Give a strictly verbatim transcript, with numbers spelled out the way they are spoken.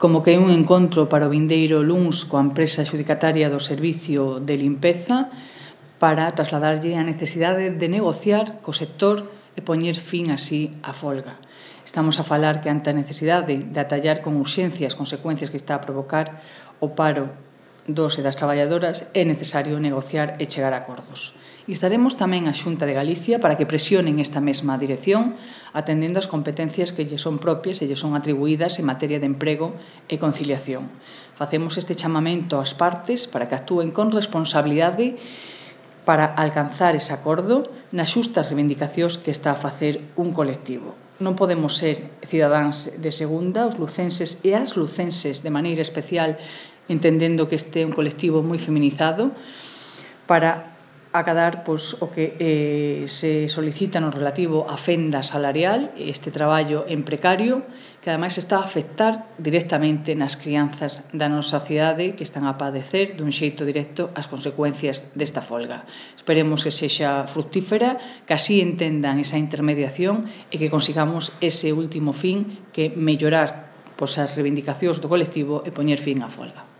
como que é un encontro para o vindeiro luns coa empresa adxudicataria do servicio de limpeza para trasladarlle a necesidade de negociar co sector e poñer fin así á folga. Estamos a falar que ante a necesidade de atallar con urxencia as consecuencias que está a provocar o paro dos e das traballadoras, é necesario negociar e chegar a acordos. E estaremos tamén a Xunta de Galicia para que presionen esta mesma dirección, atendendo as competencias que lle son propias e lle son atribuídas en materia de emprego e conciliación. Facemos este chamamento ás partes para que actúen con responsabilidade para alcanzar ese acordo nas xustas reivindicacións que está a facer un colectivo. Non podemos ser cidadáns de segunda, os lucenses e as lucenses de maneira especial, entendendo que este é un colectivo moi feminizado, para acadar pois, o que eh, se solicita no relativo á fenda salarial, este traballo en precario, que ademais está a afectar directamente nas crianzas da nosa cidade que están a padecer dun xeito directo as consecuencias desta folga. Esperemos que sexa fructífera, que así entendan esa intermediación e que consigamos ese último fin que mellorar pois, as reivindicacións do colectivo e poñer fin á folga.